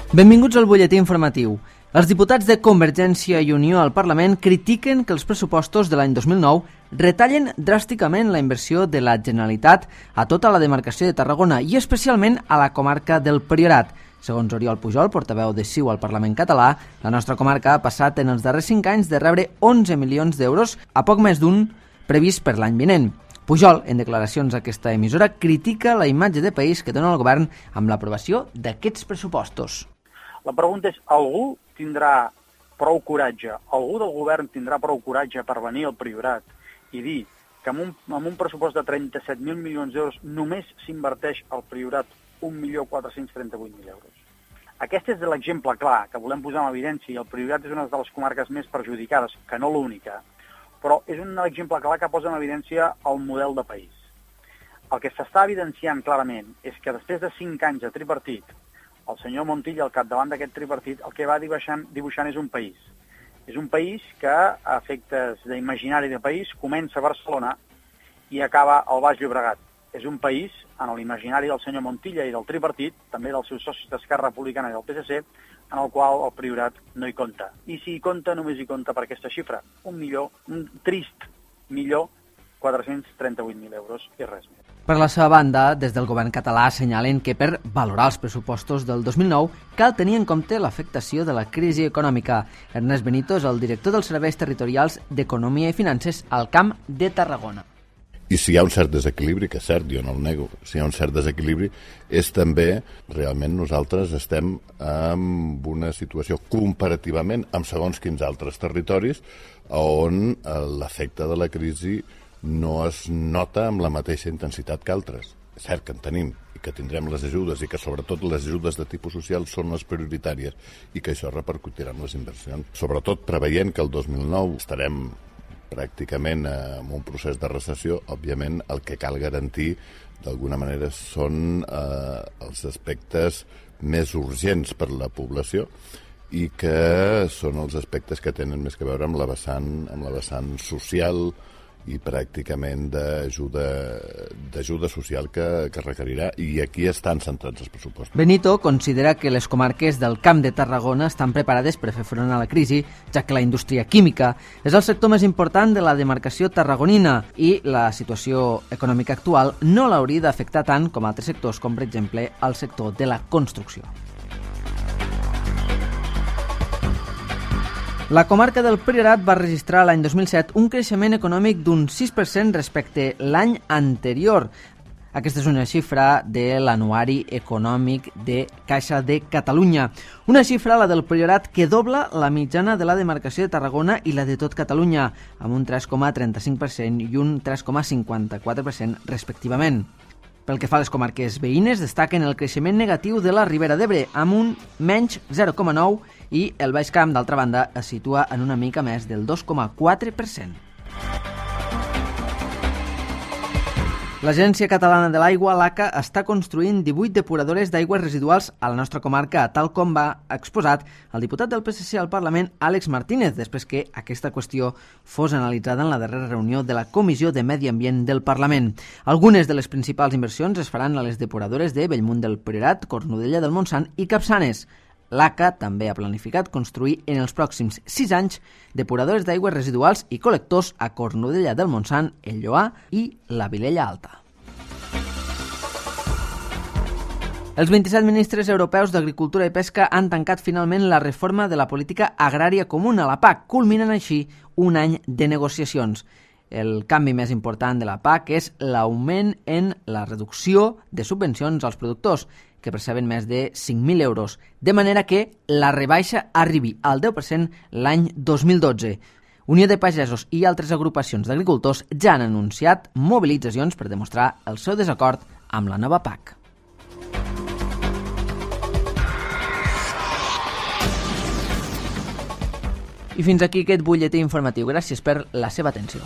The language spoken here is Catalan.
Benvinguts al butlletí informatiu. Els diputats de Convergència i Unió al Parlament critiquen que els pressupostos de l'any 2009 retallen dràsticament la inversió de la Generalitat a tota la demarcació de Tarragona i especialment a la comarca del Priorat. Segons Oriol Pujol, portaveu de CiU al Parlament català, la nostra comarca ha passat en els darrers 5 anys de rebre 11 milions d'euros a poc més d'un previst per l'any vinent. Pujol, en declaracions a aquesta emissora, critica la imatge de país que dona el govern amb l'aprovació d'aquests pressupostos. La pregunta és, algú tindrà prou coratge, algú del govern tindrà prou coratge per venir al Priorat i dir que amb un pressupost de 37.000 milions d'euros només s'inverteix al Priorat 1.438.000 euros. Aquest és l'exemple clar que volem posar en evidència i el Priorat és una de les comarques més perjudicades, que no l'única, però és un exemple clar que posa en evidència el model de país. El que s'està evidenciant clarament és que després de 5 anys de tripartit, el senyor Montilla, al capdavant d'aquest tripartit, el que va dibuixant és un país. És un país que, a efectes d'imaginari de país, comença a Barcelona i acaba al Baix Llobregat. És un país, en l'imaginari del senyor Montilla i del tripartit, també dels seus socis d'Esquerra Republicana i del PSC, en el qual el Priorat no hi compta. I si hi compta, només hi compta per aquesta xifra, un trist 1.438.000 euros i res més. Per la seva banda, des del govern català assenyalen que per valorar els pressupostos del 2009 cal tenir en compte l'afectació de la crisi econòmica. Ernest Benito és el director dels Serveis Territorials d'Economia i Finances al Camp de Tarragona. I si hi ha un cert desequilibri, que és cert, jo no el nego, si hi ha un cert desequilibri, és també, realment nosaltres estem en una situació comparativament amb segons quins altres territoris on l'efecte de la crisi no es nota amb la mateixa intensitat que altres. És cert que en tenim i que tindrem les ajudes i que sobretot les ajudes de tipus social són les prioritàries i que això repercutirà en les inversions. Sobretot preveient que el 2009 estarem pràcticament en un procés de recessió, òbviament el que cal garantir d'alguna manera són els aspectes més urgents per a la població i que són els aspectes que tenen més que veure amb la vessant social i pràcticament d'ajuda social que requerirà, i aquí estan centrats els pressupostos. Benito considera que les comarques del Camp de Tarragona estan preparades per fer front a la crisi, ja que la indústria química és el sector més important de la demarcació tarragonina i la situació econòmica actual no l'hauria d'afectar tant com altres sectors, com per exemple el sector de la construcció. La comarca del Priorat va registrar l'any 2007 un creixement econòmic d'un 6% respecte l'any anterior. Aquesta és una xifra de l'Anuari Econòmic de Caixa de Catalunya. Una xifra, la del Priorat, que dobla la mitjana de la demarcació de Tarragona i la de tot Catalunya, amb un 3,35% i un 3,54% respectivament. Pel que fa a les comarques veïnes, destaquen el creixement negatiu de la Ribera d'Ebre, amb un menys 0,9%, i el Baix Camp, d'altra banda, es situa en una mica més del 2,4%. L'Agència Catalana de l'Aigua, l'ACA, està construint 18 depuradores d'aigües residuals a la nostra comarca, tal com va exposat el diputat del PSC al Parlament, Àlex Martínez, després que aquesta qüestió fos analitzada en la darrera reunió de la Comissió de Medi Ambient del Parlament. Algunes de les principals inversions es faran a les depuradores de Bellmunt del Priorat, Cornudella del Montsant i Capçanes. L'ACA també ha planificat construir en els pròxims 6 anys depuradores d'aigües residuals i col·lectors a Cornudella del Montsant, el Lloar i la Vilella Alta. Els 27 ministres europeus d'Agricultura i Pesca han tancat finalment la reforma de la política agrària comuna, la PAC, culminant així un any de negociacions. El canvi més important de la PAC és l'augment en la reducció de subvencions als productors, que perceben més de 5.000 euros, de manera que la rebaixa arribi al 10% l'any 2012. Unió de Pagesos i altres agrupacions d'agricultors ja han anunciat mobilitzacions per demostrar el seu desacord amb la nova PAC. I fins aquí aquest butlletí informatiu. Gràcies per la seva atenció.